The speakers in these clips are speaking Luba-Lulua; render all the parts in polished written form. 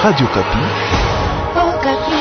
Radio Okapi. Okapi.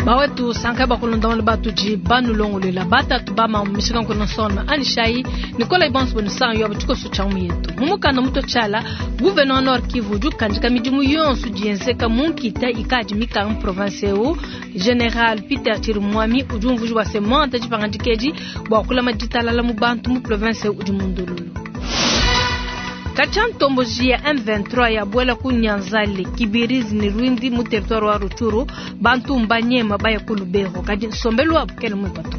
Bawetu sanka bakulonda batudi banulongolela batatu bama mishika nkona sona anishai nikola ibonso bonu yo tshikoso tsha muyetu mumukanda muto tshala gouverneur Nord Kivu udi ukandika midimu yonso dienzeka munkita ikadi mikanga mu province eu. General Peter Chirimwami udi umvuja bua se monta dipangandikedi bua kulama ditalala mu bantu mu province eu udi mundululu. Katshia ntomboji ya M23 ya bwela ku Nyanzale, Kibirizi ni Rwindi mu territoire wa Rutshuru, bantu mbanyema baya ku Lubero kadi nsombelu wabu kele mwipato.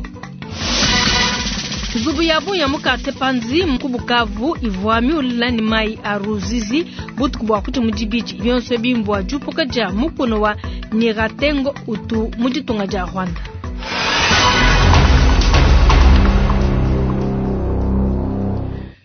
Nzubu ya bunya mu quartier Panzi ku Bukavu ivua miula ni mai a Ruzizi butuku bua kuti mu dibidi bionso bimbua jupuka dia mukuna wa Nyiratengo utu mu ditunga dia Rwanda.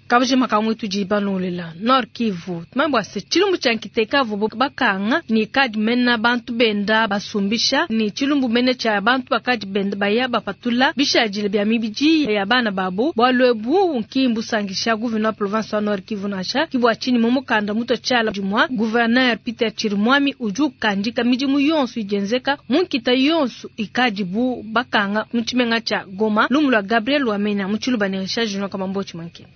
Kabujima kamwe tudi balolela Nord Kivu tumambo ase chilumbu cha nkiteka vubo bakanga ni kadi mena bantu benda basumbisha ni chilumbu mene cha bantu bakadi benda baya bapatula bishajile bya mibiji ya bana babo bwalwebu nkimbu sangisha gouverneur province wa Nord Kivu nasha kibwa chini mumukanda muto chala jumwa gouverneur Peter Chirimwami uju kandika midimu yonso ijenzeka munkita yonso ikadibu bakanga muchimenga cha Goma lumulwa Gabriel Wamena muchiluba ne Richard Junior Kamambo Chimanke.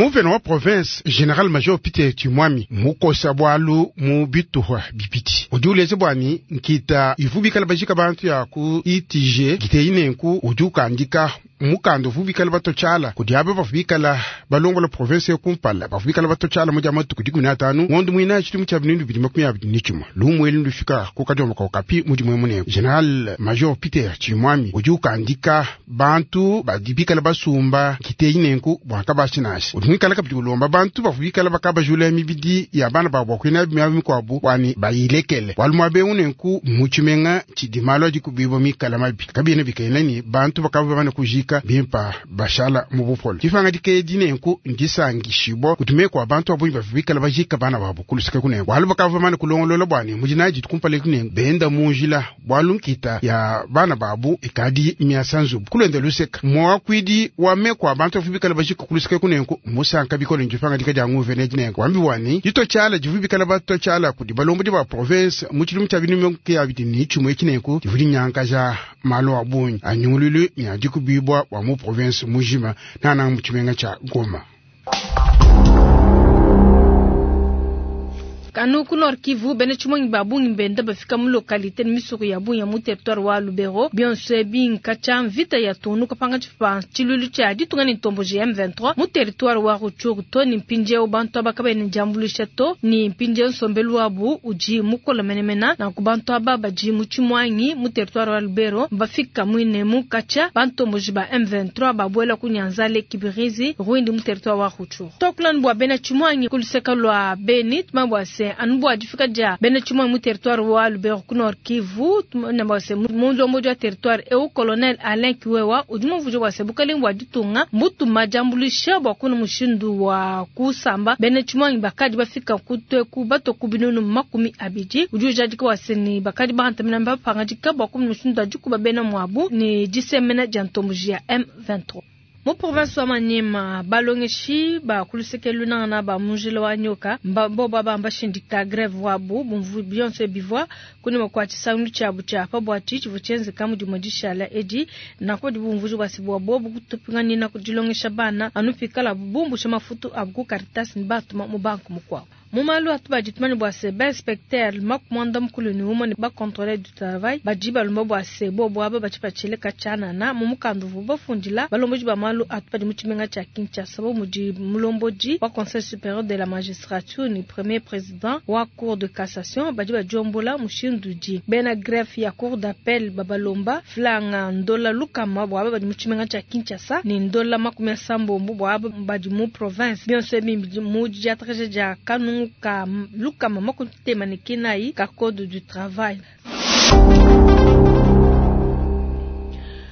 Nguvena wa province General Major Peter Chimwami mukosa bwalu mu bituhwa bipiti udi uleze bwani nkita ivu bikala bajika bantu ya ku ITG giteyi nenku udi ukandika mukanda uvu bikala batochala kudi aba bavu bikala balongola province ya kumpala bavu bikala batochala mu dia matuku 15 ngondo mwina tshidimu tshia 2021 lumweli ndufika ku kadiomba ka Okapi mu dimwe munene. General Major Peter Chimwami udi ukandika bantu badi bikala basumba giteyi nenku bwaka bashinasha udi mwikala kabidi ulomba bantu bavu bikala bakabajula mibidi ya bana babo bakwina miaba mikwabu wani bayilekele bwalu mwabe unenku mutshimenga tshidi malu adi kubibo mikala mabi kabina bikena ni bantu bakaba bamane kujika bimpa bashala mu bupolo difanga dikedi nenku ndisangishibwa kutumekwa bantu abunyi bavu bikala bajika bana babo kulusika kunenku bwalu bakava bamane kulongolola bwani mujinaji tukumpale kunenku benda munjila bwalu nkita ya bana babu ikadi miasa nzubu kulenda luseka mwakwidi wamekwa bantu bavu bikala bajika kulusika kunenku musanka bikolo ndifanga dika dia nguvene dinenku wambi wani ditochala divu bikala batochala kudi balombodi ba province mu tshidimu tshia 2021 tshinenku divu dinyankaja malu a bungi anyungululu miadi kubibwa wa mu province mujima nana mu tshimenga tsha Goma. Kanu ku Nord Kivu bene tshimongi ba bungi benda bafika mu localité ni misoko ya bungi ya mu territoire wa Lubero bionso ebi nkatsha mvita ya tunu kapanga tshipa tshilulu tshia ditunga ni ntomboji M23 mu territoire wa Rutshuru to ni mpindieu bantu aba kabene ndiambuluisha to ni mpindieu nsombelu wabu udi mukola menemena na ku bantu aba badi mu tshimwangi mu territoire wa Lubero bafika mwine mu katsha bantomboji ba M23 babuela ku Nyanzale Kibirizi Rwindi mu territoire wa Rutshuru tokulani bua bena tshimwangi kuluseka lua Beni tumabua se anubu difika dia bena tshimwe mu territoire wa Lubero ku Nord Kivu tumabua se mulombo wa territoire eu colonel Alain Kiwewa udi muvuja bua se bukalenga bua ditunga mbutuma diambuluisha bua kuna mushindu wa kusamba bena tshimwe bakadi bafika kutweku bato ku binunu 20 udi ujadika bua se ni bakadi bahantamina bapangadika bua kuna mushindu wa dikuba bena mwabu ni disemena dia ntomboji ya M23. Mu province wa Maniema balongeshi ba kulusekelu nangana ba munjila wa nyoka bo baba mbashindika greve wabu bumvu bionso bivwa kuni makwa tshisangilu tshiabu tshia pa bua tshivua tshienzeka mu dimue dishala edi nako dibumvuji bua se bua bobu kutupinganina kudilongesha bana anu pikala bumbusha mafutu abu ku Caritas ni batuma mu banku mukuabu. Mu malu atu baditumani bua se ba inspecteur makumanda mukulu ni umwe ba contrôleur du travail badi balomba bua se bobo aba batshipatshile katshanana mu mukandu vu bafundila balomboji ba malu atu badi mu tshimenga tshia Kinshasa bo mudi mulombodi wa conseil supérieur de la magistrature ni premier président wa cour de cassation badi badiombola mushindu di bena greffe ya cour d'appel babalomba flanga ndola lukama bua aba badi mu tshimenga tshia Kinshasa ni ndola 70 bua aba badi mu province bionso ebi mu diatraje dia kanu ka lukama makutema ne kinai ka code du travail.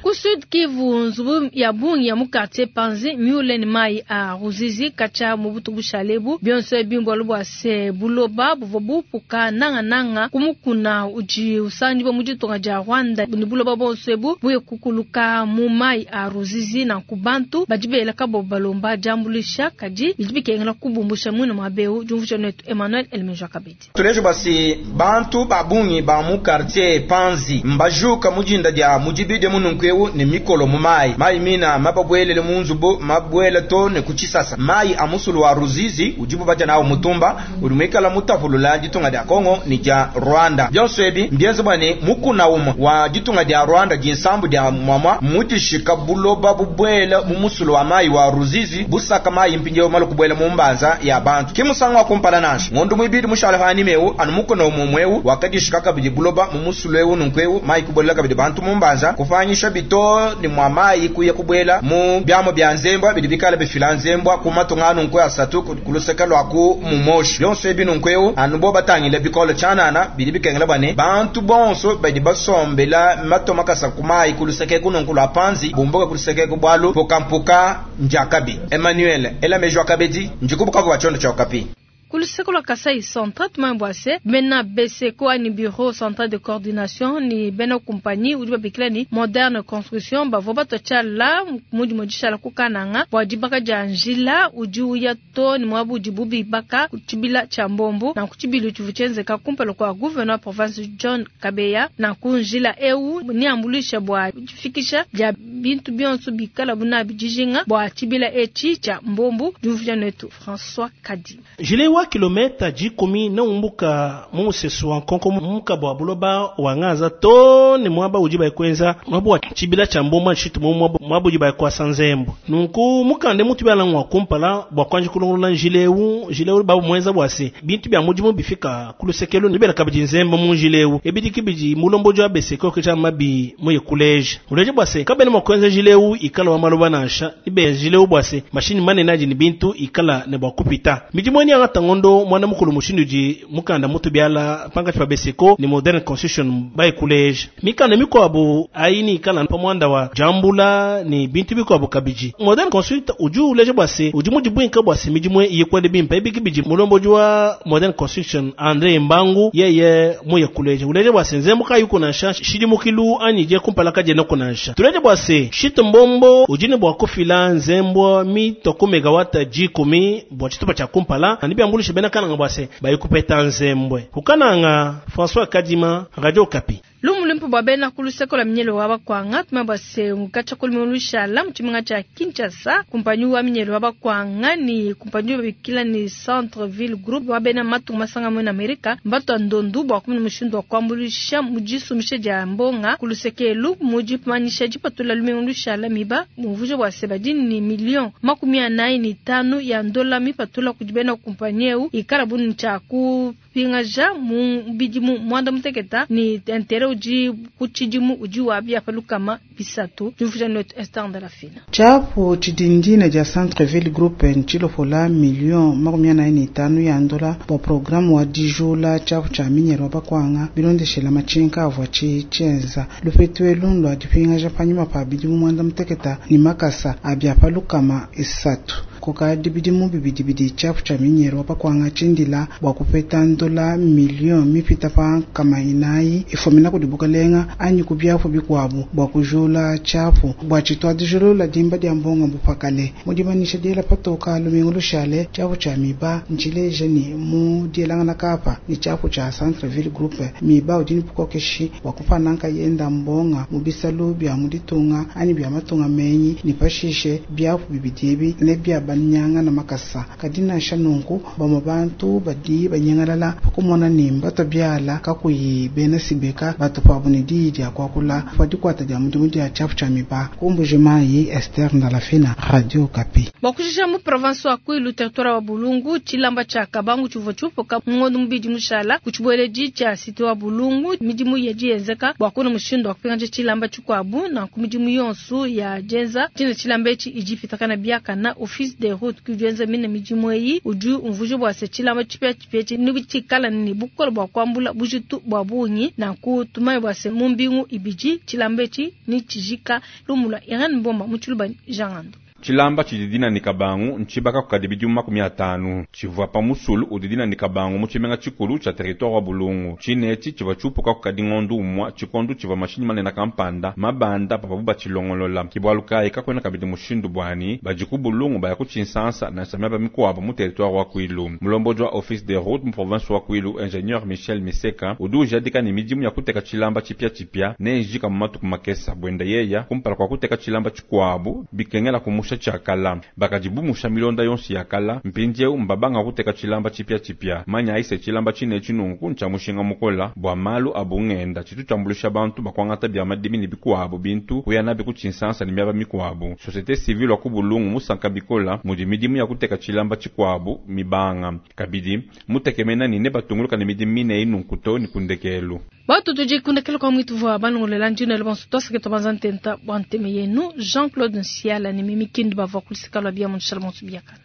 Ku Sud Kivu, nzubu ya bungi ya mu quartier Panzi miule ne mayi a Ruzizi katshia mu butuku bushale ebu. Bionso ebi mbualu bua se buloba buvua bupuka nangananga ku mukuna udi usanganyibua mu ditunga dia Rwanda ne buloba buonso ebu buye kukuluka mu mayi a Ruzizi. Nanku bantu badi bela kabobo balomba diambuluisha, kadi bidi bikengela kubumbusha muine muaba eu. Diumvuija netu Emmanuel Elemeja kabidi. Tuleje bua se bantu ba bungi ba mu quartier Panzi mbajuka mu dinda dia mu dibidi mununku eu ne mikolo mu mayi. Mayi mina mababuelele mu nzubu, mabuela to ne ku tshisasa. Mayi a musulu wa Ruzizi udibu badia nawu mutumba udi muikala mutapulula ditunga dia Congo ne dia Rwanda. Bionso ebi mbienze bua ne mukuna umue wa ditunga dia Rwanda dinsambu dia muamua mudishika buloba bubuela mu musulu wa mayi wa Ruzizi busaka mayi mpindieu malu kubuela mu mbanza ya bantu. Ki musangu wa kumpala nansha. Ngondo muibidi mushale panyima eu anu mukuna umue umue eu wakadishika kabidi buloba mu musulu eu nunku eu mayi kubuelela kabidi bantu mu mbanza kupanyisha bito ne mua mayi kuya kubuela mu biamu bia nzembua bidi bikale bifila nzembua ku matunga nunku asatu ku luseke lua ku mumoshi. Bionso ebi nunku eu anu bo batangile bikole tshianana bidi bikengela bua ne bantu bonso badi basombela mato makasa ku mayi ku luseke eku nunku lua Panzi bumbuke ku luseke eku bualu mpukampuka ndiakabi. Emmanuel ela meji wa kabedi ndiku Bukavu wa tshiondo tshia Okapi. Ku luseke lua Kasai Central tumanye bua se bena BCCO anyi Bureau Central de Coordination ne bena kumpanyi udi babikila ne Moderne Construction bavua batua tshiala mu dimue dishala ku Kananga bua dibaka dia njila udi uya to ne muaba udibu bibaka ku tshibila tshia Mbombo. Nanku tshibilu tshivua tshienzeka kumpala kua gouverneur wa province John Kabeya. Nanku njila eu neambuluisha bua difikisha dia bintu bionso bikalabu nabi dijinga bua tshibila etshi tshia Mbombo. Diumvuija netu François Kadi. Njila wa kilometa dikumi neumbuka mu musesu wa nkonko mumuka bua buloba wa Ngaza to ne muaba udi baikwenza muaba wa tshibila tshia Mbombo nshitu mu muaba udi baikuasa nzembu. Nunku mukande mutu biala ngwa kumpala bua kuanji kulongolola njila eu, njila eu babu muenza bua se bintu bia mudimu bifika ku lusekelu ne bela kabidi nzembu mu njila eu. Ebidi kibidi mulomboji wa BCCO ke mabi muye kuleja. Uleja bua se kabena mua kuenza njila eu ikala wa maloba nansha ibe njila eu bua se mashini manene adi ne bintu ikala ne bua kupita. Midimu eni angata ngondo mwana mukulu mushindu udi mukanda mutu biala pankatshi pa BCCO ne Modern Construction baikuleja. Mikanda mikuabu ayi ikala pa muanda wa jambula ne bintu bikuabu kabidi. Modern Construction udi uleja bua se udi mudibwinka bua se midimu ikwende bimpe ebiki bidi mulomboji wa Modern Construction Andre Mbangu yeye muye kuleja. Uleja bua se nzembu kayi kunansha shidi mukilu anyi je kumpala kaje no kunansha. Tuleja bua se shito mbombo udi ne bua kufila nzembo mitoko megawata jikumi bua tshitupa tshia kumpala ani biambulisha bena kananga bua se bayikupeta nzembwe. Kukananga François Kadima, Radio Okapi. Lumu luimpe bua bena ku luseke lua minyelo wa bakwanga tumanye bua se mukatshia ku lumingu lushala mu tshimenga tshia Kinshasa kumpanyi wa minyelo wa bakwanga ni kumpanyi babikila ni Centre Ville Group wa bena matunga masanga mu Amerika mbatua ndondu bua kumona mushindu wa kuambuluisha mu disumisha dia mbonga ku luseke elu mu dimanyisha dipatula lumingu lushala miba mumvuija bua se badi ni million 45 ya ndola mipatula kudi bena kumpanyi eu ikala bunu tshia kupingaja mu bidimu mwanda muteketa ni intérêt udi ku tshidimu udi wa bia pa lukama bisatu. Diumvuija netu Esther Ndalafina. Tshiapu tshidindina dia Centre-Ville Group ntshilopola million 45 ya ndola bua programme wa dijula tshiapu tshia minyelo wa bakwanga bilondeshela matshinka avua tshienza lupetu elu lua dipingaja panyima pa bidimu mwanda muteketa ni makasa abia pa lukama isatu. Kukadi bidimu bibidi bidi tshiapu tshia minyelo wa bakwanga tshindila bua kupeta ndola million mipita pa nkama inayi ifumina kudi bukalenga anyi ku biapu bikuabu bua kujula tshiapu bua tshitwa dijulula dimba dia mbonga bupakale. Mu dimanyisha diela patoka lumingu lushale tshiapu tshia miba ntshileja ni mu dielangana kapa ni tshiapu tshia Centre-Ville Group miba udi ni bukokeshi bua kupananka yenda mbonga mu bisalu bia mu ditunga anyi bia matunga menyi ni pashishe biapu bibidi ebi ne bia banyanga na makasa. Kadi nansha nunku bamwe bantu badi banyangalala pakumona ni mbato biala kakuyi bena sibeka batu pabu ne diyi dia kuakula pa dikuata dia mudimu dia tshiapu tshia miba. Kumbuji Mayi, Esther Ndalafina, Radio Okapi. Bua kushisha mu province wa Kwilu territoire wa Bulungu tshilamba tshia Kabangu tshivua tshiupuka ngondo mubidi mushala ku tshibueledi tshia cité wa Bulungu midimu yadi yenzeka bua kuna mushindu wa kupingaja tshilamba tshikuabu na ku midimu yonso ya dienza tshina tshilamba etshi idi ipitakana biakana office des routes ki udi wenza mine midimu eyi udi umvuija bua se tshilamba tshipiatshipia etshi netshikale ne bukole bua kuambula bujitu bua bungi. Nanku tumanye bua se mu mbingu ibidi tshilamba etshi netshijika. Lumu lua Irene Mbomba mu Tshiluba ne Jean Ngandu. Tshilamba tshidi dina ne Kabangu ntshibaka kukadi bidimu 50. Tshivua pa musulu udi dina ne Kabangu mu tshimenga tshikulu tshia territoire wa Bulungu. Tshine etshi tshivua tshiupuka kukadi ngondu umua tshikondu tshivua mashinyi manena kampanda mabanda pavuabu batshilongolola. Ki bualu kayi kakuena kabidi mushindu buani badi ku Bulungu baya ku Tshinsansa nansha miaba mikuabu mu territoire wa Kwilu. Mulombodi wa Office des routes mu province wa Kwilu, Ingenieur Michel Miseka udi ujadika ne midimu ya kuteka tshilamba tshipiatshipia neijika mu matuku makesa. Buenda yeya, kumpala kua kuteka tshilamba tshikuabu, bikengela kumusha tshia kala. Bakadi bumusha milonda yonso ya kala, mpindieu mbabanga kuteka tshilamba tshipiatshipia. Manyayi se tshilamba tshine etshi nunku ntshia mushinga mukola bua malu a bungenda, tshitu tshiambuluisha bantu ba kuangata bia madimi ne bikuabu bintu kuya nabi ku Tshinsansa ne miaba mikuabu. Societe civile wa ku Bulungu musanka bikola mudi midimu ya kuteka tshilamba tshikuabu mibanga. Kabidi, mutekemena ne nebatunguluka ne midimu mine eyi nunku too ne ku ndekelu. Batu tudi ku ndekelu kua muitu vua balongolola ndina bonso tuasakita banza ntenta bua nteme yenu Jean-Claude Nsiala ne Mimi Kindu bavua ku luseka lua bia mu nshala bonso biakana.